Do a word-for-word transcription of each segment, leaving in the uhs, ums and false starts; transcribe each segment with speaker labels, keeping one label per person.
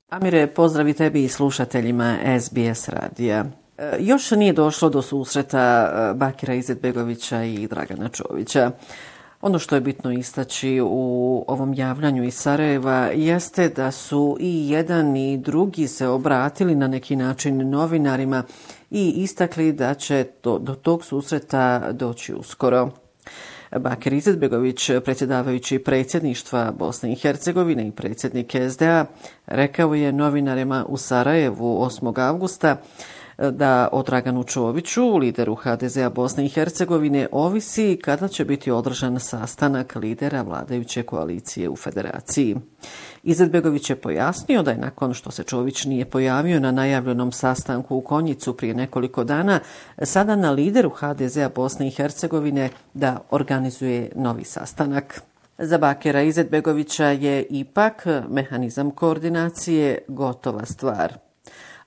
Speaker 1: Amire, pozdravi tebi i slušateljima S B S radija. Još nije došlo do susreta Bakira Izetbegovića i Dragana Čovića. Ono što je bitno istaći u ovom javljanju iz Sarajeva jeste da su i jedan i drugi se obratili na neki način novinarima i istakli da će do, do tog susreta doći uskoro. Bakir Izetbegović, predsjedavajući predsjedništva Bosne i Hercegovine i predsjednik S D A, rekao je novinarima u Sarajevu osmog avgusta da o Draganu Čoviću, lideru H D Z-a Bosne i Hercegovine, ovisi kada će biti održan sastanak lidera vladajuće koalicije u federaciji. Izetbegović je pojasnio da je nakon što se Čović nije pojavio na najavljenom sastanku u Konjicu prije nekoliko dana, sada na lideru H D Z-a Bosne i Hercegovine da organizuje novi sastanak. Za Bakira Izetbegovića je ipak mehanizam koordinacije gotova stvar.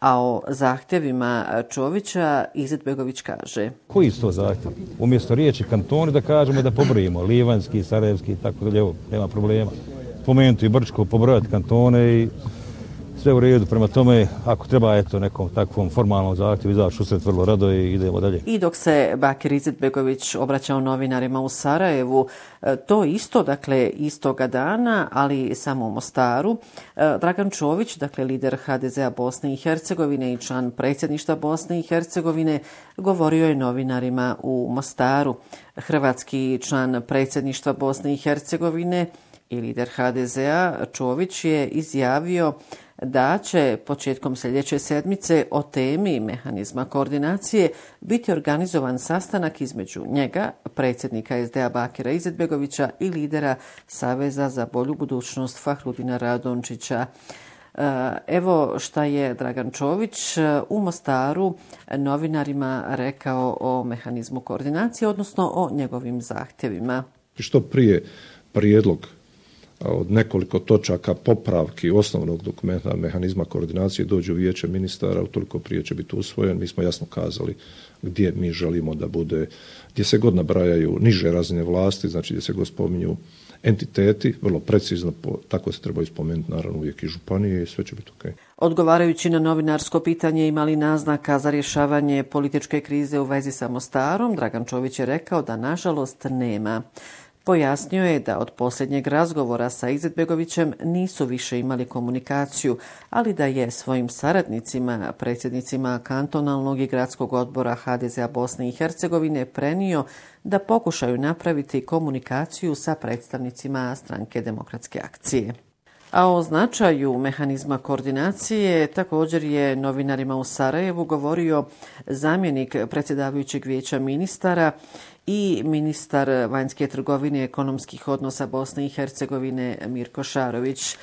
Speaker 1: A o zahtjevima Čovića Izetbegović kaže:
Speaker 2: Koji su to zahtjev? Umjesto riječi kantoni da kažemo da pobrojimo livanjski, sarajevski i tako dalje, nema problema. Pomenuti i Brčko, pobrojati kantone i sve u redu. Prema tome, ako treba eto nekom takvom formalnom zahtjevu izaći usred vrlo rado i idemo dalje.
Speaker 1: I dok se Bakir Izetbegović obraćao novinarima u Sarajevu, to isto, dakle istoga dana, ali samo u Mostaru, Dragan Čović, dakle lider H D Z-a Bosne i Hercegovine i član predsjedništva Bosne i Hercegovine, govorio je novinarima u Mostaru. Hrvatski član predsjedništva Bosne i Hercegovine i lider H D Z-a Čović je izjavio da će početkom sljedeće sedmice o temi mehanizma koordinacije biti organizovan sastanak između njega, predsjednika S D A Bakira Izetbegovića i lidera Saveza za bolju budućnost Fahrudina Radončića. Evo šta je Dragan Čović u Mostaru novinarima rekao o mehanizmu koordinacije, odnosno o njegovim zahtjevima.
Speaker 3: Što prije prijedlog od nekoliko točaka popravki osnovnog dokumenta mehanizma koordinacije dođe u vijeće ministara, utoliko prije će biti usvojen. Mi smo jasno kazali gdje mi želimo da bude, gdje se god nabrajaju niže razine vlasti, znači gdje se god spominju entiteti, vrlo precizno, tako se trebaju spomenuti naravno uvijek i županije i sve će biti ok.
Speaker 1: Odgovarajući na novinarsko pitanje ima li naznaka za rješavanje političke krize u vezi sa Mostarom, Dragan Čović je rekao da nažalost nema. Pojasnio je da od posljednjeg razgovora sa Izetbegovićem nisu više imali komunikaciju, ali da je svojim saradnicima, predsjednicima kantonalnog i gradskog odbora H D Z-a Bosne i Hercegovine prenio da pokušaju napraviti komunikaciju sa predstavnicima Stranke demokratske akcije. A o značaju mehanizma koordinacije također je novinarima u Sarajevu govorio zamjenik predsjedavajućeg vijeća ministara i ministar vanjske trgovine i ekonomskih odnosa Bosne i Hercegovine Mirko Šarović.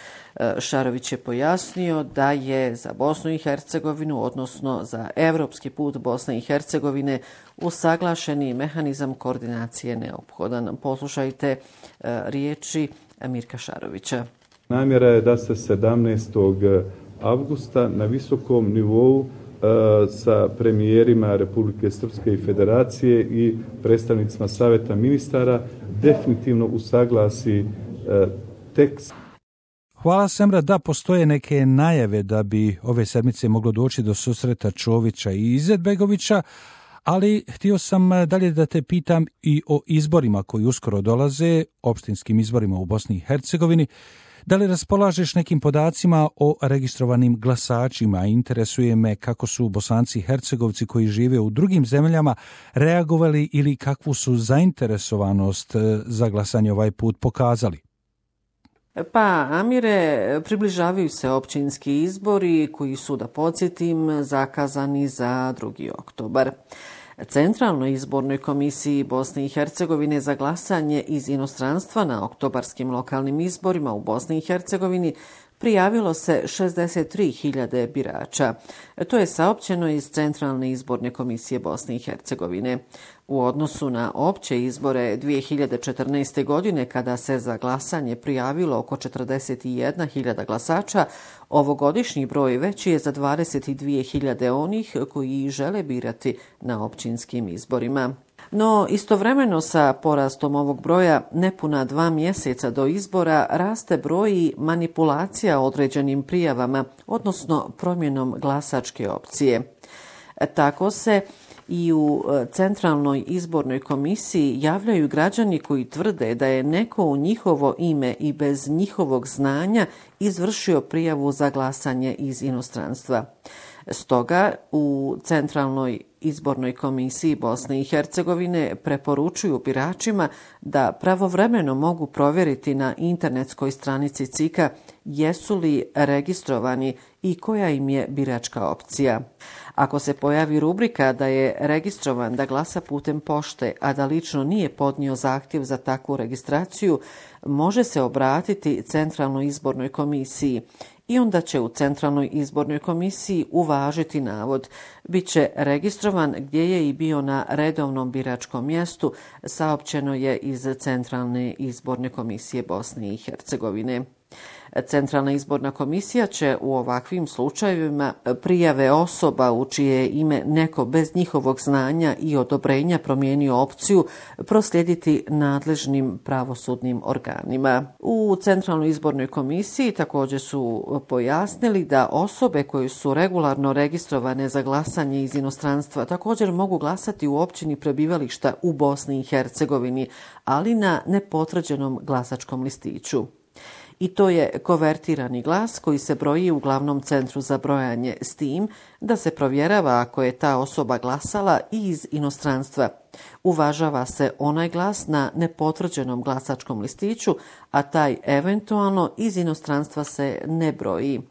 Speaker 1: Šarović je pojasnio da je za Bosnu i Hercegovinu, odnosno za europski put Bosne i Hercegovine, usaglašeni mehanizam koordinacije neophodan. Poslušajte riječi Mirka Šarovića.
Speaker 4: Namjera je da se sedamnaestog avgusta na visokom nivou sa premijerima Republike Srpske i Federacije i predstavnicima Saveta ministara definitivno usaglasi tekst.
Speaker 5: Hvala Semra, da postoje neke najave da bi ove sedmice moglo doći do susreta Čovića i Izetbegovića, ali htio sam dalje da te pitam i o izborima koji uskoro dolaze, opštinskim izborima u Bosni i Hercegovini. Da li raspolažeš nekim podacima o registrovanim glasačima? Interesuje me kako su Bosanci i Hercegovci koji žive u drugim zemljama reagovali ili kakvu su zainteresovanost za glasanje ovaj put pokazali.
Speaker 1: Pa, Amire, približavaju se općinski izbori koji su, da podsjetim, zakazani za drugi oktobar. Centralnoj izbornoj komisiji Bosne i Hercegovine za glasanje iz inostranstva na oktobarskim lokalnim izborima u Bosni i Hercegovini prijavilo se šezdeset tri hiljade birača. To je saopćeno iz Centralne izborne komisije Bosne i Hercegovine. U odnosu na opće izbore dvije hiljade četrnaeste. godine, kada se za glasanje prijavilo oko četrdeset jedna hiljada glasača, ovogodišnji broj veći je za dvadeset dvije hiljade onih koji žele birati na općinskim izborima. No, istovremeno sa porastom ovog broja, nepuna dva mjeseca do izbora, raste broj manipulacija određenim prijavama, odnosno promjenom glasačke opcije. Tako se i u Centralnoj izbornoj komisiji javljaju građani koji tvrde da je neko u njihovo ime i bez njihovog znanja izvršio prijavu za glasanje iz inostranstva. Stoga u Centralnoj izbornoj komisiji Bosne i Hercegovine preporučuju biračima da pravovremeno mogu provjeriti na internetskoj stranici C I K-a jesu li registrovani i koja im je biračka opcija. Ako se pojavi rubrika da je registrovan da glasa putem pošte, a da lično nije podnio zahtjev za takvu registraciju, može se obratiti Centralnoj izbornoj komisiji i onda će u Centralnoj izbornoj komisiji uvažiti navod. Biće registrovan gdje je i bio na redovnom biračkom mjestu, saopćeno je iz Centralne izborne komisije Bosne i Hercegovine. Centralna izborna komisija će u ovakvim slučajevima prijave osoba u čije ime neko bez njihovog znanja i odobrenja promijenio opciju proslijediti nadležnim pravosudnim organima. U Centralnoj izbornoj komisiji također su pojasnili da osobe koje su regularno registrovane za glasanje iz inostranstva također mogu glasati u općini prebivališta u Bosni i Hercegovini, ali na nepotvrđenom glasačkom listiću. I to je kovertirani glas koji se broji u glavnom centru za brojanje, s tim da se provjerava ako je ta osoba glasala i iz inostranstva. Uvažava se onaj glas na nepotvrđenom glasačkom listiću, a taj eventualno iz inostranstva se ne broji.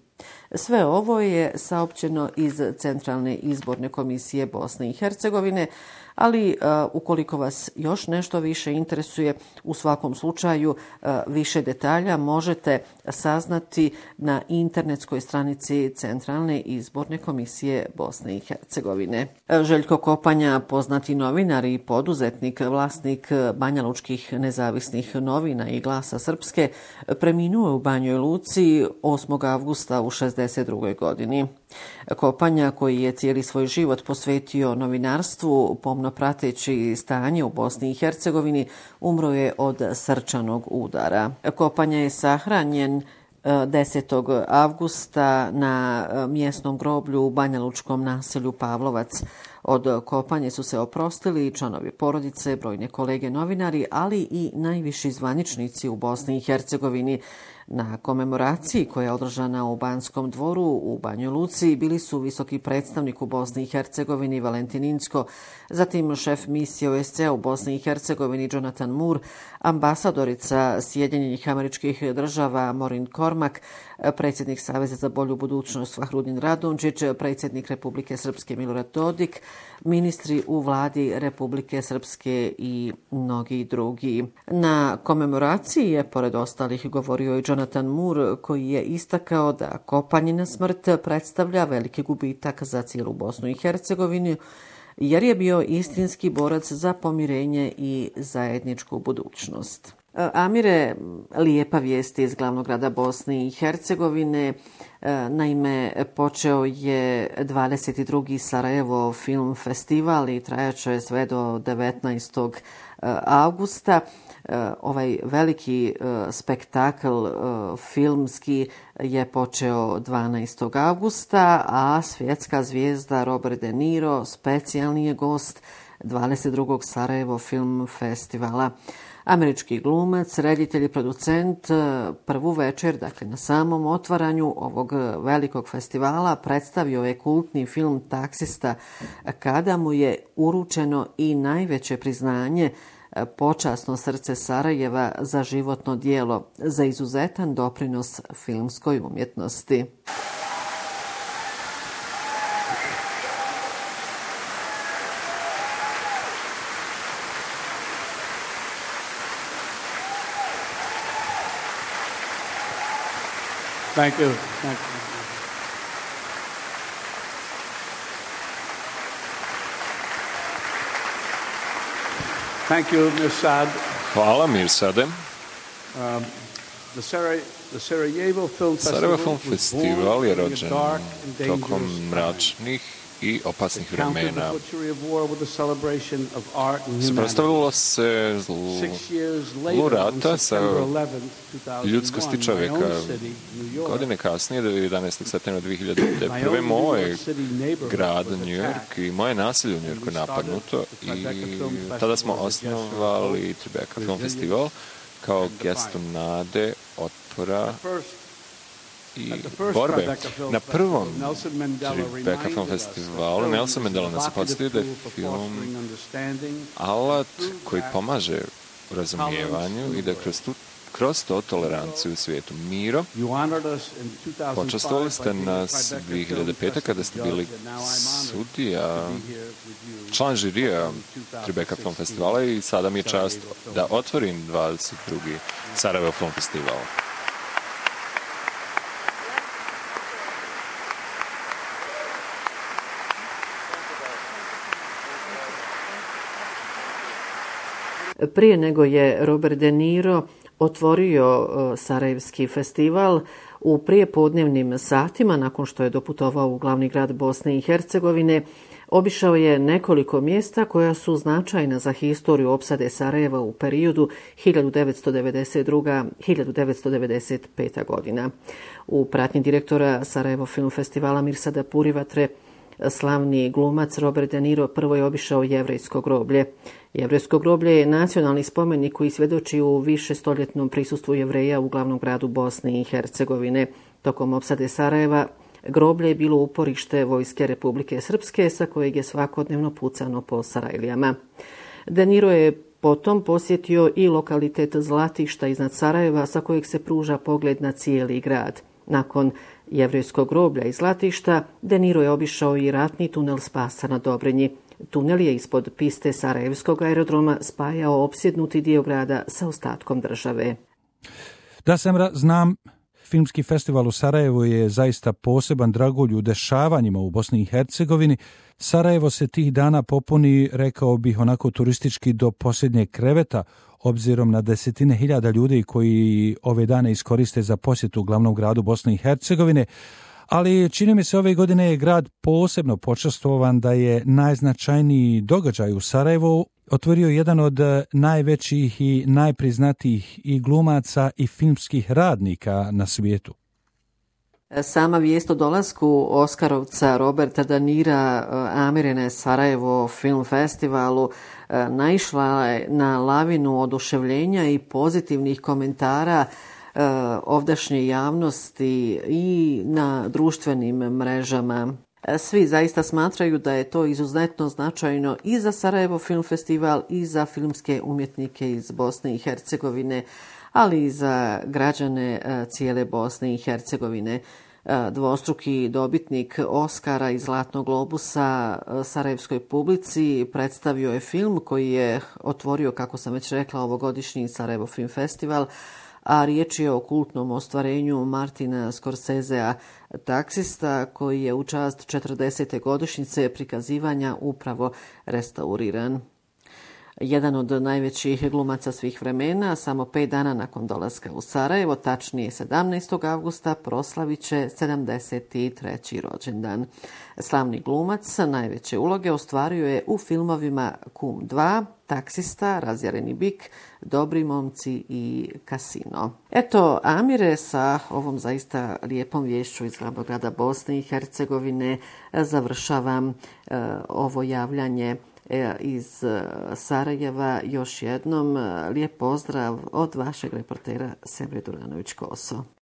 Speaker 1: Sve ovo je saopćeno iz Centralne izborne komisije Bosne i Hercegovine, ali uh, ukoliko vas još nešto više interesuje, u svakom slučaju uh, više detalja možete saznati na internetskoj stranici Centralne izborne komisije Bosne i Hercegovine. Željko Kopanja, poznati novinar i poduzetnik, vlasnik banjalučkih nezavisnih novina i Glasa Srpske, preminuo je u Banjoj Luci osmog avgusta u šezdeset drugoj godini. Kopanja, koji je cijeli svoj život posvetio novinarstvu, pomno prateći stanje u Bosni i Hercegovini, umro je od srčanog udara. Kopanja je sahranjen desetog avgusta na mjesnom groblju u banjalučkom naselju Pavlovac. Od kopanje su se oprostili članovi porodice, brojne kolege novinari, ali i najviši zvaničnici u Bosni i Hercegovini. Na komemoraciji koja je održana u Banskom dvoru u Banjoj Luci bili su visoki predstavnik u Bosni i Hercegovini Valentin Incko, zatim šef misije O S C E u Bosni i Hercegovini Jonathan Moore, ambasadorica Sjedinjenih Američkih Država Maureen Cormack, predsjednik Saveza za bolju budućnost Fahrudin Radončić, predsjednik Republike Srpske Milorad Dodik, ministri u vladi Republike Srpske i mnogi drugi. Na komemoraciji je, pored ostalih, govorio i Jonathan Moore, koji je istakao da Kopanjina smrt predstavlja veliki gubitak za cijelu Bosnu i Hercegovinu, jer je bio istinski borac za pomirenje i zajedničku budućnost. Amire, lijepa vijest iz glavnog grada Bosne i Hercegovine. Naime, počeo je dvadeset drugi Sarajevo film festival i trajaće sve do devetnaestog avgusta. Ovaj veliki spektakl filmski je počeo dvanaestog avgusta, a svjetska zvijezda Robert De Niro specijalni je gost dvadeset drugog Sarajevo film festivala. Američki glumac, reditelj i producent prvu večer, dakle na samom otvaranju ovog velikog festivala, predstavio je kultni film Taksista, kada mu je uručeno i najveće priznanje Počasno srce Sarajeva za životno djelo, za izuzetan doprinos filmskoj umjetnosti.
Speaker 6: Thank you. Thank you. Thank you, Mirsad.
Speaker 7: Hvala, Mirsade.
Speaker 6: Um, the Sarajevo, the Sarajevo Film
Speaker 7: Sarajevo
Speaker 6: Festival
Speaker 7: Film Festival je rođen tokom mračnih i opasnih vremena. Suprotstavilo se zlu rata sa ljudskosti čovjeka. Godine kasnije, jedanaestog septembra dvije hiljade prve. moj grad, New York, i moje naselje u New Yorku je napadnuto i tada smo osnovali Tribeca Film Festival kao gestu nade, otpora i borbe. Na prvom Tribeca Film Festivalu Nelson Mandela nas je podsjetio da je film alat koji pomaže u razumijevanju i da kroz tu kroz to toleranciju u svijetu. Miro, počastvovali ste nas dvije hiljade pete. kada ste bili sudija, član žirija Tribeca Film Festivala, i sada mi je čast da otvorim dvadeset drugi Sarajevo Film Festival.
Speaker 1: Prije nego je Robert De Niro otvorio Sarajevski festival, u prijepodnevnim satima, nakon što je doputovao u glavni grad Bosne i Hercegovine, obišao je nekoliko mjesta koja su značajna za historiju opsade Sarajeva u periodu hiljadu devetsto devedeset druga do hiljadu devetsto devedeset peta. godina. U pratnji direktora Sarajevo Film Festivala Mirsada Purivatre, slavni glumac Robert De Niro prvo je obišao Jevrejsko groblje. Jevrejsko groblje je nacionalni spomenik koji svjedoči u višestoljetnom prisustvu Jevreja u glavnom gradu Bosne i Hercegovine. Tokom opsade Sarajeva groblje je bilo uporište vojske Republike Srpske, sa kojeg je svakodnevno pucano po Sarajlijama. De Niro je potom posjetio i lokalitet Zlatišta iznad Sarajeva, sa kojeg se pruža pogled na cijeli grad. Nakon Jevrejskog groblja i Zlatišta, De Niro je obišao i ratni tunel Spasa na Dobrinji. Tunel je ispod piste Sarajevskog aerodroma spajao opsjednuti dio grada sa ostatkom države.
Speaker 5: Da sam znam, Filmski festival u Sarajevu je zaista poseban dragulj u dešavanjima u Bosni i Hercegovini. Sarajevo se tih dana popuni, rekao bih, onako turistički do posljednjeg kreveta, obzirom na desetine hiljada ljudi koji ove dane iskoriste za posjetu glavnom gradu Bosne i Hercegovine, ali čini mi se ove godine je grad posebno počastvovan da je najznačajniji događaj u Sarajevu otvorio jedan od najvećih i najpriznatijih i glumaca i filmskih radnika na svijetu.
Speaker 1: Sama vijest o dolasku Oskarovca Roberta De Nira Amire na Sarajevo Film Festivalu naišla je na lavinu oduševljenja i pozitivnih komentara ovdašnje javnosti i na društvenim mrežama. Svi zaista smatraju da je to izuzetno značajno i za Sarajevo Film Festival i za filmske umjetnike iz Bosne i Hercegovine, ali i za građane cijele Bosne i Hercegovine. Dvostruki dobitnik Oskara i Zlatnog globusa sarajevskoj publici predstavio je film koji je otvorio, kako sam već rekla, ovogodišnji Sarajevo Film Festival, a riječ je o kultnom ostvarenju Martina Scorsesea Taksista, koji je u čast četrdesete godišnjice prikazivanja upravo restauriran. Jedan od najvećih glumaca svih vremena, samo pet dana nakon dolaska u Sarajevo, tačnije sedamnaestog avgusta, proslavit će sedamdeset treći rođendan. Slavni glumac najveće uloge ostvario je u filmovima Kum dva, Taksista, Razjareni bik, Dobri momci i Kasino. Eto, Amire, sa ovom zaista lijepom vješću iz glavnog grada Bosne i Hercegovine završavam uh, ovo javljanje iz Sarajeva. Još jednom lijep pozdrav od vašeg reportera Semre Duranović-Koso.